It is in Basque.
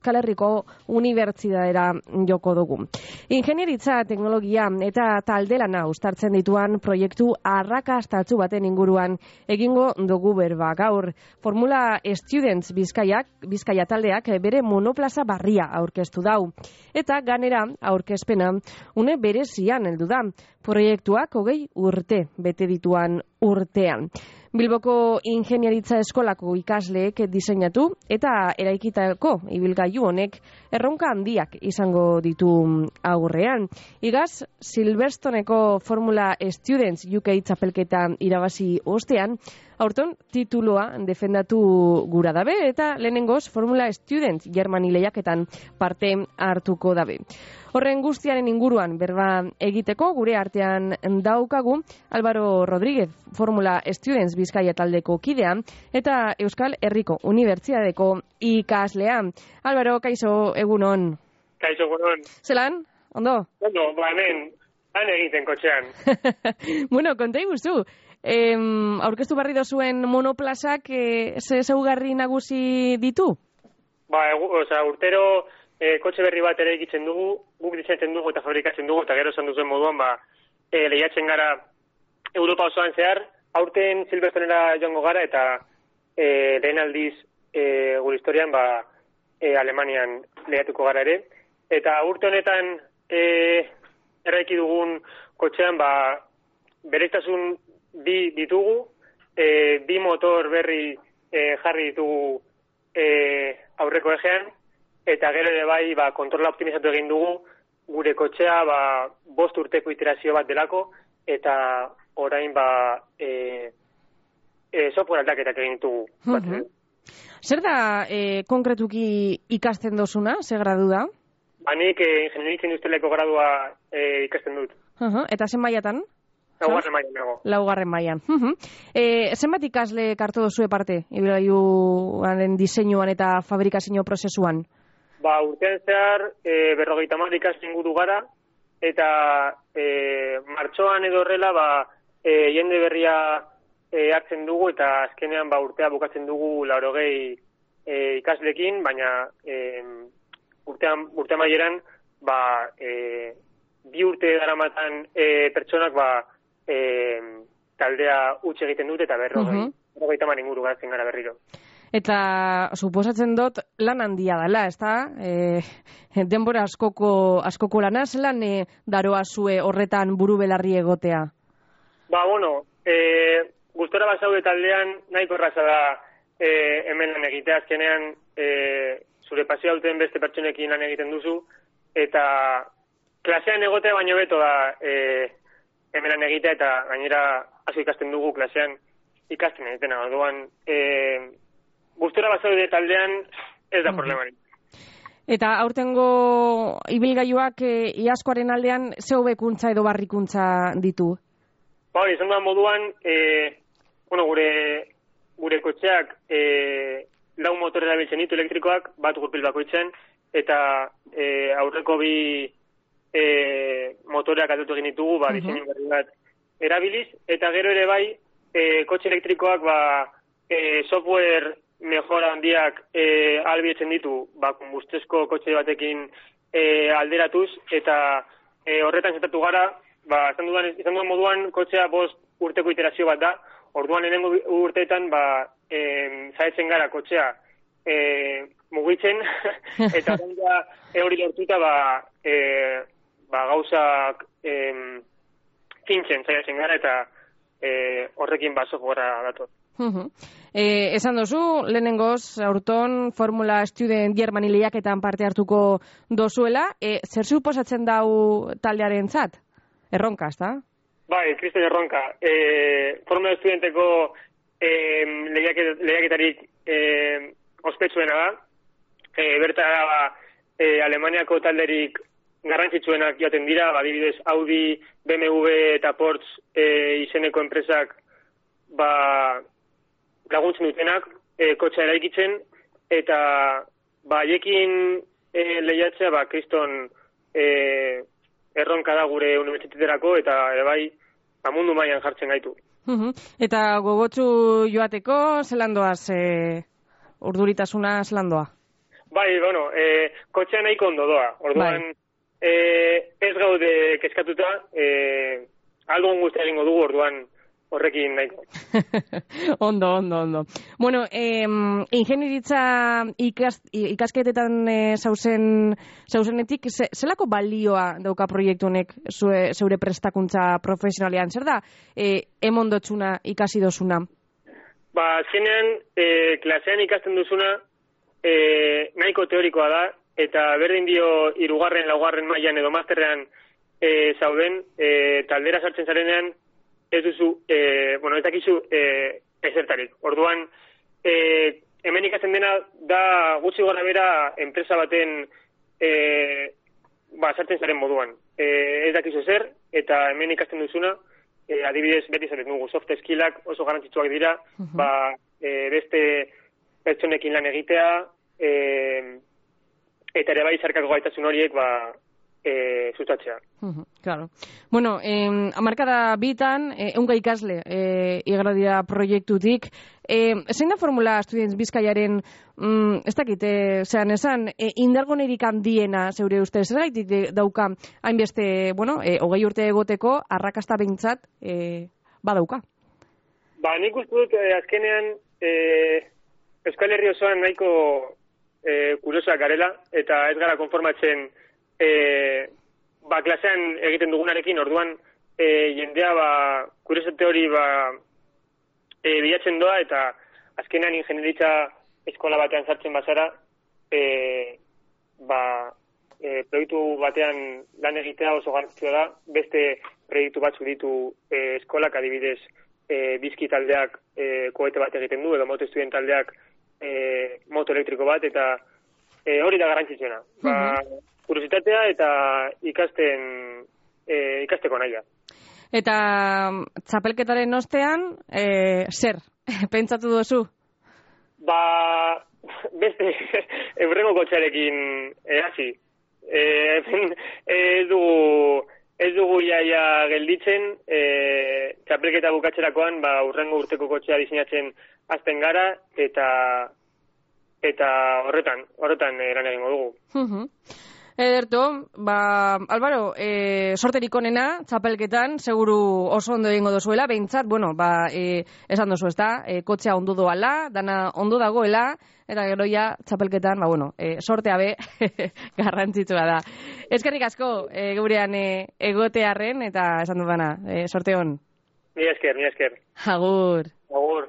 Euskal Herriko Unibertsitatera joko dugu. Ingenieritza, teknologia eta taldelana uztartzen dituan proiektu arrakastatsu baten inguruan egingo dugu berba gaur. Formula Students Bizkaia taldeak bere monoplaza barria aurkeztu dau. Eta ganera aurkezpena une berezian heldu da. Proiektuak 20 urte bete dituan urtean. Bilboko Ingenieritza Eskolako ikasleek diseinatu eta eraikitako ibilgailu honek erronka handiak izango ditu aurrean. Igaz, Silverstone-eko Formula Students UK txapelketa irabazi ostean, aurton tituloa defendatu gura dabe eta lehenengoz Formula Students Germany lehiaketan parte hartuko dabe. Horren guztiaren inguruan berba egiteko gure artean daukagu Álvaro Rodríguez, Formula Students Bizkaia taldeko kidea eta Euskal Herriko Unibertsitateko ikaslea. Álvaro, kaixo, egunon. Kaixo, egunon. Zelan? Ondo? Ondo, hemen, han egiten kotxean. Bueno, konta iguzu. Aurkeztu barri dozuen monoplazak ze zaugarri nagusi ditu? Urtero kotxe berri bat ere egitzen dugu, guk diseinatzen dugu eta fabrikatzen dugu, eta gero esan duzuen moduan, lehiatzen gara Europa osoan zehar, aurten Silverstone-era joango gara, eta lehen aldiz gure historian, Alemanian lehiatuko gara ere. Eta urte honetan erraiki dugun kotxean, bereztasun bi ditugu, bi motor berri jarri ditugu aurreko ejean, eta gero ere bai, kontrola optimizatu egin dugu, gure kotxea 5 urteko iterazio bat delako, eta orain software aldaketak egin ditugu. Zer da konkretuki ikasten dozuna? Ze gradu da? Nik ingenieritza industrialeko gradua ikasten dut. Eta zen mailatan? Laugarren mailan nago. Laugarren mailan. Zenbat ikasle hartu duzue parte, ibilgailuaren diseinuan eta fabrikazio prozesuan? Urtean zehar, 50 ikasle inguru gara, eta martxoan edo horrela, jende berria hartzen dugu, eta azkenean urtea bukatzen dugu 80 ikaslekin, baina urte maieran, 2 urte daramatan pertsonak taldea utxe egiten dute, eta 50 inguru garatzen gara berriro. Eta suposatzen dut lan handia dela, ezta? Denbora askoko lana, zelan daroa zue horretan buru belarri egotea? Gustora bazaude taldean nahiko erraza da hemen lan egitea, azkenean zure pasioa duten beste pertsonekin lan egiten duzu, eta klasean egotea baino beto da hemen lan egitea, eta gainera asko ikasten dugu klasean ikasten egitena. Orduan, gustora bazaude taldean ez da problemarik. Eta aurtengo ibilgailuak iazkoaren aldean ze hobekuntza edo barrikuntza ditu? Izan da moduan, gure kotxeak 4 motor erabiltzen ditu elektrikoak, bat gurpil bakoitzen, eta aurreko 2 motoreak aldatu egin ditugu, diseinu berri bat erabiliz, eta gero ere bai, kotxe elektrikoak software mejora handiak ahalbidetzen ditu, konbustezko kotxe batekin alderatuz, eta horretan zentratu gara, izan duan moduan kotxea 5 urteko iterazio bat da, orduan lehenengo urteetan zaitzen gara kotxea mugitzen, eta hori lortuta gauzak fintzen zaitzen gara, eta horrekin softwarea dator. Esan dozu, lehenengoz, aurton Formula Student Germany lehiaketan parte hartuko dozuela, zer suposatzen dau taldearen zat? Erronka, ezta? Kriston erronka. Formula Studenteko lehiaketarik ospetsuena da. Bertara Alemaniako talderik garrantzitsuenak joaten dira, adibidez Audi, BMW eta Porsche izeneko enpresak laguntzen dutenak kotxa eraikitzen, eta haiekin lehiatzea kriston erronka da gure unibertsitaterako, eta ere bai mundu mailan jartzen gaitu. Eta gogotsu joateko zelan doaz urduritasuna zelan doa? Bai, bueno, kotxea nahiko ondo doa. Orduan, ez gaude kezkatuta, aldun guztia egingo dugu, orduan horrekin nahiko. Ondo. Bueno, ingenieritza ikasketetan zauzenetik, zelako balioa dauka proiektu honek zeure prestakuntza profesionalean? Zer da, emondotxuna ikasi dozuna? Ba, azkenean, klasean ikasten duzuna, nahiko teorikoa da, eta berdin dio 3., 4. mailan edo masterrean zauden, taldera sartzen zarenean, ez duzu, ez dakizu ezertarik. Orduan, hemen ikasten dena da gutxi gora bera enpresa baten sartzen zaren moduan. Ez dakizu zer, eta hemen ikasten duzuna, adibidez, beti zaten dugu, soft skillak oso garrantzitsuak dira, beste pertsonekin lan egitea, eta ere bai zarkako gaitasun horiek, sustatzea. Claro. Bueno, hamarkada bitan, eunka ikasle igarra proiektutik. Zein da formula Estudiants Bizkaiaren, ez dakit, zean esan, indargonerik handiena, zeure ustez, zer gaitik dauka, hainbeste, 20 urte egoteko, arrakasta behintzat, badauka? Nik uste dut, azkenean, Euskal Herri osoan nahiko kuriosoak garela, eta ez gara konformatzen klasean egiten dugunarekin, orduan jendea kuriositate hori bilatzen doa, eta azkenean ingenieritza eskola batean sartzen bazara, proiektu batean lan egitea oso garrantzitsua da, beste proiektu batzu ditu eskolak, adibidez bizki taldeak koete bat egiten du, edo moto estudien taldeak moto elektriko bat, eta hori da garrantzitsuena. Kuriositatea eta ikasteko naia. Eta txapelketaren ostean, zer? Pentsatu duzu? Beste, eurrengo kotxarekin hasi. Ez dugu iaia gelditzen, txapelketa bukatzerakoan, urrengo urteko kotxea diseinatzen hasten gara, eta horretan eran egingo dugu. Ederto, Álvaro, sorterik onena, txapelketan, seguru oso ondo egingo dozuela, behintzat, esan dozu, ezta, kotxea ondo doala, dana ondo dagoela, eta gero ja, txapelketan, sortea be, garrantzitsua da. Eskerrik asko, gurean egotearren, eta esan dudana, sorte hon. Ni esker. Agur. Agur.